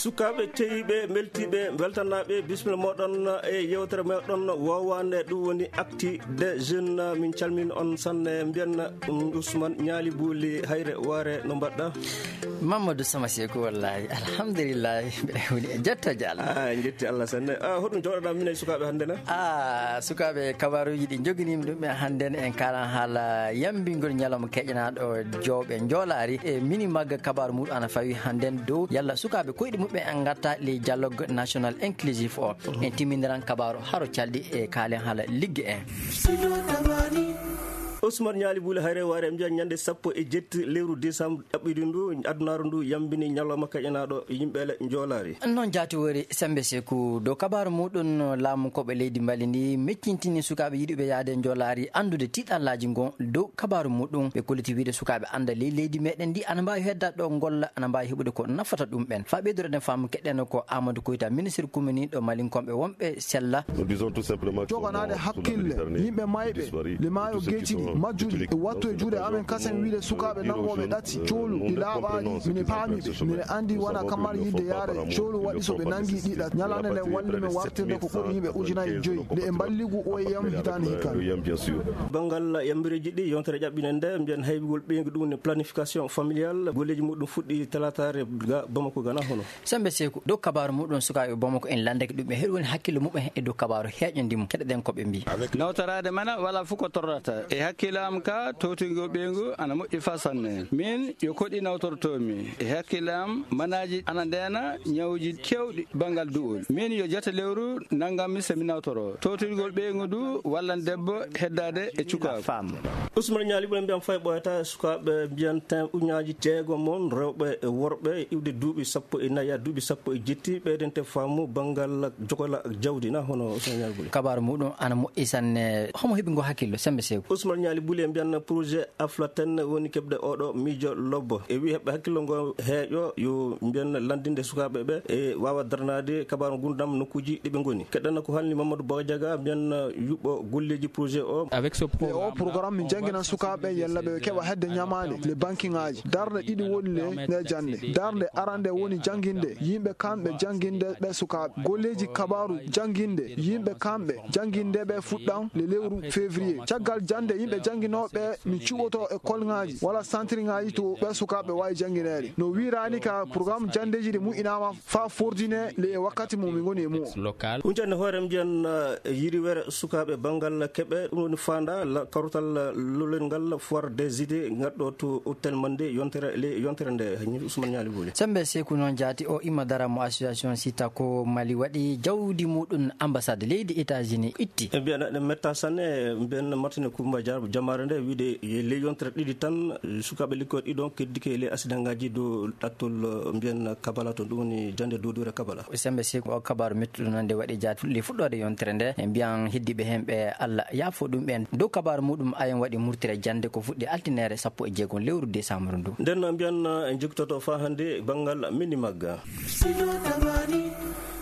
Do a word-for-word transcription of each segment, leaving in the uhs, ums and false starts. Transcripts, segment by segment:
Sukaaɓe teyiiɓe, mbeltiiɓe, mbeltanaaɓe, bisimilla mooɗon e yeewtere meɗen woowaande, ɗum woni Actu des Jeunes. Min calmin on sanne, mbiyen, um, Ousmane Ñaali Buuli Hayre Waare, no mbaɗɗa? Mamadou Sama Seeku, wallahi, alhamdulillahi, mbiɗa woni e jettooje Allah. Ah, en jetti Allah sanne. Ah, hoɗum jooɗoɗaa min e sukaaɓe hannde na? Ah, sukaaɓe, kabaaruuji ɗi njoginimi ɗum ɓe hannde, en kaalan haala yambingol ñalawma keƴanaaɗo jowɓe njoolaari. E mini magga kabaaru muɗum ana fawi hannde dow yalla sukaaɓe koyɗi muɓɓen en ngatta le dialogue national inclusif o. En timmindiran kabaaru haro calɗi e kaalen haala ligge en. Ousmane Ñaali Buuli Hayre Waare, en mbiyan ñande sappo e jetti lewru décembre ɗaɓɓiɗi ndu, adunaaru ndu yambini ñalawma kaƴanaaɗo yimɓe le njoolaari. Noon jaati wori Sembe Seeku, dow kabaaru muɗum laamu koɓe leydi Mali ndi meccintini sukaaɓe yiɗuɓe yaade njoolaari anndude tiiɗallaaji ngon dow kabaaru muɗum. Ɓe kolliti wiide sukaaɓe annda ley leydi meɗen ndi ana mbaawi heddaade ɗo ngolla, ana mbaawi heɓude ko nafata ɗum ɓen. Faa ɓeydoreɗen faamu keɗɗen ko Amadou Koyta, ministre kuminiiɗo malinkonɓe wonɓe sella. Joganaade hakkille yimɓe mayɓe le maayo geeciɗi majjuɗi e wattu e juuɗe amen kasen wiide sukaaɓe nangooɓe ɗati coolu ɗi laaɓaani. Mine paami ɓe, mine anndi wona kamar yidde yaare coolu waɗi so ɓe nangi ɗi ɗat. Ñalande nden walli men wartirde ko ɓuri yimɓe ujunaaji joyi nde e mballigu O E M hitaande hikkaande. Banngal yambireeji ɗi yontere ƴaɓɓinen nde, mbiyen haybigol ɓeyngu ɗum ne planification familiale, golleeji muɗum fuɗɗi talataare ga Bamako gana hono. Sembe Seeku, dow kabaaru muɗum sukaaɓe Bamako en lanndake ɗum ɓe heɗi woni hakkille muɓɓen e dow kabaaru heeƴo ndimu. Keɗoɗen ko ɓe mbii. Nawtoraade mana wala fof ko torrata. E hakkille am ka towtingol ɓeyngu ana moƴƴi faa sanne. Min yo koɗi nawtortoomi. E hakkille am manaaji ana ndeena ñawuuji keewɗi banngal du'ol. Min yo jate lewru nanngam mi so mi nawtoroo. Towtingol ɓeyngu ndu wallan debbo heddaade e cukaagu. Ousmane Ñaali Buuli, mbiyan fay ɓooyata sukaaɓe mbiyanten ujunnaaji jeegom mon rewɓe e worɓe iwde duuɓi sappo e nayi haa duuɓi sappo e jetti ɓeydente faamu banngal jokola jawdi na hono Ousmane Ñaali Buuli. Kabaaru muɗum ana moƴƴi sanne. Homo heɓi ngo hakkillo, Sembe Seeku? Ousmane Ñaali Buuli, en mbiyan projet Aflaten woni keɓde oɗo miijo lobbo. E wi heɓɓe hakkillo ngo heeƴo yo mbiyan lanndinde sukaaɓe ɓe e waawa darnaade kabaaru ngurdam nokkuuji ɗi ɓe ngoni. Keɗɗen ko halni Mamadou Bagajaga, mbiyan yuɓɓo golleeji projet o. E o programme min jannginan sukaaɓe yalla ɓe keɓa hedde ñamaande le bankiŋaaji. Darnde ɗiɗi woni le nde jannde. Darnde arande woni jannginde yimɓe kamɓe jannginde ɓe sukaaɓe. Golleeji kabaaru jannginde yimɓe kamɓe jannginde ɓe fuɗɗan le lewru février. Caggal jannde yimɓe jannginooɓe min cuɓoto e kolŋaaji wala santirŋaaji to ɓe sukaaɓe waawi janngineede. No wiiraani ka programme janndeeji ɗi muƴƴinaama faa fordine le e wakkati mo min ngoni e mu'un. Huncande hoore mbiyan, eh, yiriwere sukaaɓe banngal keɓe, ɗum woni faanda la, karutal, eh, lolel ngal foire des idées ngaɗɗo to hôtel Mande yontere le yontere nde, Ousmane Ñaali Buuli. Sembe Seeku noon jaati o imma dara mo association Sitako Mali waɗi jawdi muɗum ambassade leydi États-Unis itti. E mbiyan ɗe metta sanne, mbiyan Martine Kumba Jar-, jamaare nde wiide e ley yontere ɗiɗi tan, sukaaɓe likkoy ɗiɗon keddike e ley accident ngaji dow ɗattol, eh, mbiyan Kabala to ɗum woni jannde Dodore Kabala. Sembe Seeku, o kabaaru mettuɗo noon nde waɗi jaati fuɗɗi fuɗɗoode yontere nde. E mbiyan heddiiɓe heen ɓe Allah yaafo ɗum ɓeen. Dow kabaaru muɗum ayen waɗi murtire jannde ko fuɗɗi altineere sappo e jeegom lewru décembre ndu. Nden no mbiyan, eh, en jogitoto faa hannde banngal mini magga.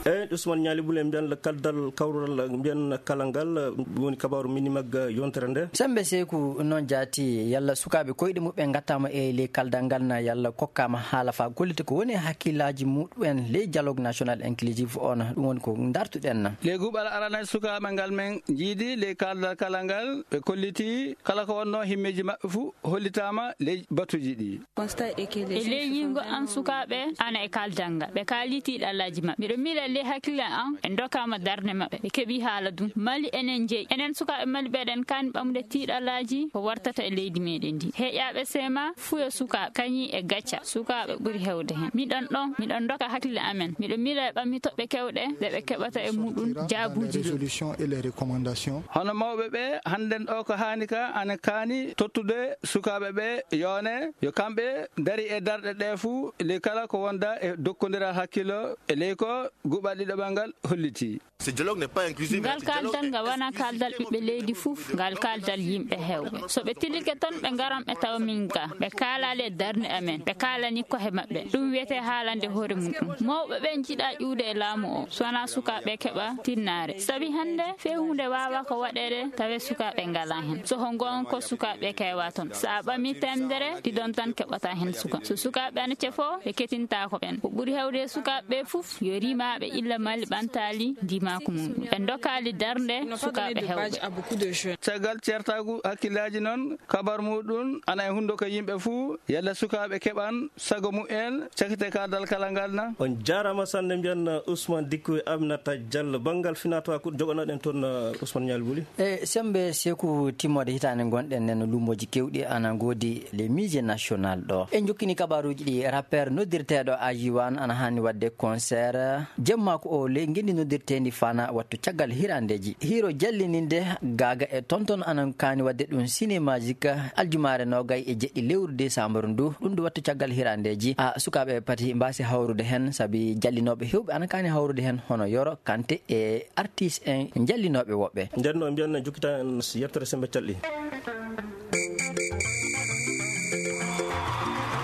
Eyi, Ousmane Ñaali Buuli, mbiyan le kaldal kawral mbiyan kala ngal, eh, woni kabaaru mini magga yontere nde. Sembe Seeku noon jaati, yalla sukaaɓe koyɗe muɓɓen ngattaama e ley kaldal ngal na yalla kokkaama haala faa gollita ko woni hakkillaaji muɓɓen ley dialogue national inclusif on, ɗum woni ko dartuɗen na. Ley guɓal arana sukaaɓe ngal men jiidi ley kaldal kala ngal, ɓe kolliti kala ko wonnoo himmeeji maɓɓe fuu hollitaama ley batuuji ɗi. E ley ñiiñgo an sukaaɓe ana e kaldal ngal, ɓe kaali tiiɗallaaji maɓɓe. Miɗo miila ley hakkille an ɓe ndokaama darnde maɓɓe, ɓe keɓii haala ɗum. Mali enen jeyi. Enen sukaaɓe Mali ɓeɗen kaani ɓamude tiiɗallaaji ko wartata e leydi meɗen ndi. Heeƴaaɓe seema fuu yo sukaaɓe, kañi e gacca. Sukaaɓe ɓuri heewde heen. Miɗon ɗon, miɗon ndoka hakkille amen. Miɗo miila e ɓammi toɓɓe kewɗe ɗe ɓe keɓata e muɗum jaabuuji ɗi. Hono mawɓe ɓe, hannden ɗo ko haani ka ana kaani tottude sukaaɓe ɓe yoone, yo kamɓe ndari e darɗe ɗe fuu, ley kala ko wonda e dokkondiral hakkillo, e ley ko guɓal ɗiɗaɓal ngal holliti. Ce dialogue n'est pas inclusif. Ngal kaaldal ngal wonaa kaaldal ɓiɓɓe leydi fof, ngal kaaldal yimɓe heewɓe. So ɓe tilike toon, ɓe ngaran ɓe tawa min ga. Ɓe kaalaali e darnde amen, ɓe kaalani koye maɓɓe. Ɗum wiyetee haalande hoore mum ɗum. Mawɓe ɓe njiɗaa ƴuwde e laamu o, so wonaa sukaaɓe keɓa tinnaare. Sabi hannde, fewhuunde waawaa ko waɗeede, tawe sukaaɓe ngalaa heen. So ko ngoonga ko sukaaɓe keewaa toon. So a ɓamii teemedere, ɗiɗon tan keɓata heen suka. So sukaaɓe ana cefoo, ɓe ketintaako ɓeen. Ko ɓuri heewde e sukaaɓe ɓe fof, yo rimaaɓe illa Mali ɓantaali ndimaaku mum. Ɓe ndokaali darnde sukaaɓe heewɓe. Caggal ceertaagu hakkillaaji noon, kabar muɗum ana e hunnduko yimɓe fuu, yalla sukaaɓe keɓan sago mumen, cakite kaadal kala ngal na. On jaaraama sanne, mbiyan Ousmane Dikko e Aminata Diallo. Banngal finaa-tawaa ko jogonoɗen toon, Ousmane Ñaali Buli. E semmbe Seeku, timmoode hitaande ngonɗen nden, luumooji keewɗi ana ngoodi le musée national ɗo. En jokkini kabaaruuji ɗi, rappeur noddirteeɗo Ajiwan ana haani waɗde concert jemmaako o ley ngenndi noddirteendi Fana wattu caggal hirandeeji. Hiiro jallininde gaaga e tonton ana kaani waɗde ɗum Cinémagique aljumaare noogay e jeɗɗi lewru décembre ndu. Ɗum ndu wattu caggal hirandeeji. A sukaaɓe pati mbaasi hawrude heen, sabi jallinooɓe heewɓe ana kaani hawrude heen, hono Yoro Kante e artiste en jallinooɓe woɓɓe. Nden no mbiyan jokkitaa en yettere semmbe calɗi.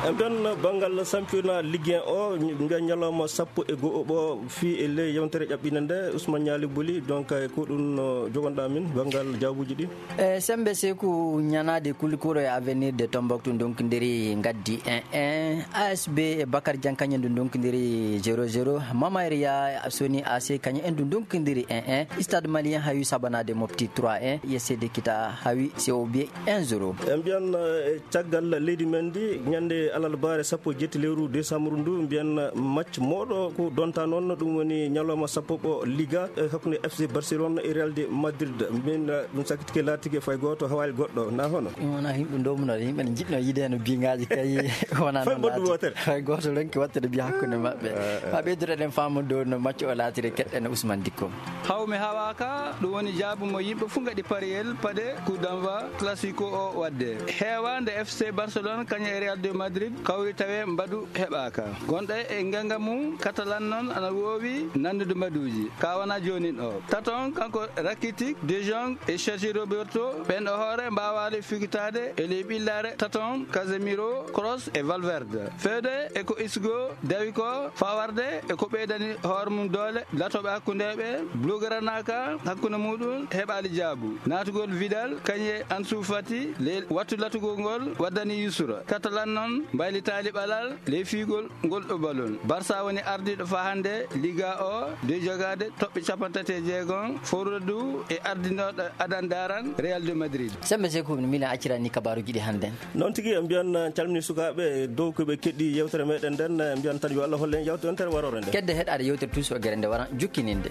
En mbiyan banngal championnat Ligue un o, mbiyan ñalawma sappo e go'o ɓo fii e ley yewtere ƴaɓɓinde nde, Ousmane Ñaali Buli, donc, e ko ɗum no jogonɗaa min banngal jaabuuji ɗi? E semmbe Seeku, ñanaade Kulikoro e Avenir de Tombouctou ndonkindiri ngaddi un un, A S B e Bakar Diagne kañum ndu ndonkindiri zéro zéro, Mamaria Soni A C kañum en ndu ndonkindiri un un, Stade Malien hawi sabanaade Mopti trois un, U S C de Kita hawi C O B un zéro. En mbiyan, eh, caggal leydi men ndi, ñande alarbaare sappo e jetti lewru décembre ndu, mbiyan match mawɗo ko donta noon, ɗum woni ñalawma sappo ɓo Liga, eh, hakkunde F C Barcelone e Real de Madrid. Min, eh, ɗum sakkitike laatike fay gooto hawaali goɗɗo, na hono? Ɗum wona yimɓe ndomuno, yimɓe ne njiɗno yiide no biŋaaji kay. Wona fay noon mboddu laati. Wootere. Fay gooto ronki waɗtude biya hakkunde maɓɓe. Eh, eh. Haa ɓeyduɗen faamude no match o laatiri, keɗɗen Ousmane Dikko. Hawmi hawaaka, ɗum woni jaabu mo yimɓe fof ngaɗi pariyel paɗe coup d'envoi classico o waɗde. Heewaande F C Barcelone kañum e Real de Madrid kawri tawe mbaɗu heɓaaka. Gonɗo e ngennga mum, Catalan noon ana woowi nanndude mbaɗuuji. Ka wona joonin o. Taton kanko Rakitic, De Jong e Sergi Roberto, ɓen e hoore mbaawaali figitaade e ley ɓillaare Taton, Casemiro, Kroos e Valverde. Feewde e ko Isco dawi ko, fawarde e ko ɓeydani hoore mum doole, latooɓe hakkundeeɓe, Blaugrana ka hakkunde muɗum heɓaali jaabu. Naatugol Vidal, kañum e Ansu Fati, ley wattu latugol ngol waddani yusra. Catalan noon mbaylitaali ɓalal ley fiigol ngol ɗo balon. Barça woni ardiiɗo faa hannde Liga o, de jogaade toɓɓe capanɗe tati e jeegom, fowrude du e ardinooɗo adan daran Real de Madrid. Semmbe Seeku, mi miila accirani kabaaruuji ɗi hannde. Noon tigi, en mbiyan, eh, calmini sukaaɓe dow ko ɓe keɗi yewtere meɗen nden, eh, mbiyan tan yo Allah holle en yewtere, yewtere waroore nde. Kedde heɗaade yewtere Tuusi o gere nde wara jukkininde.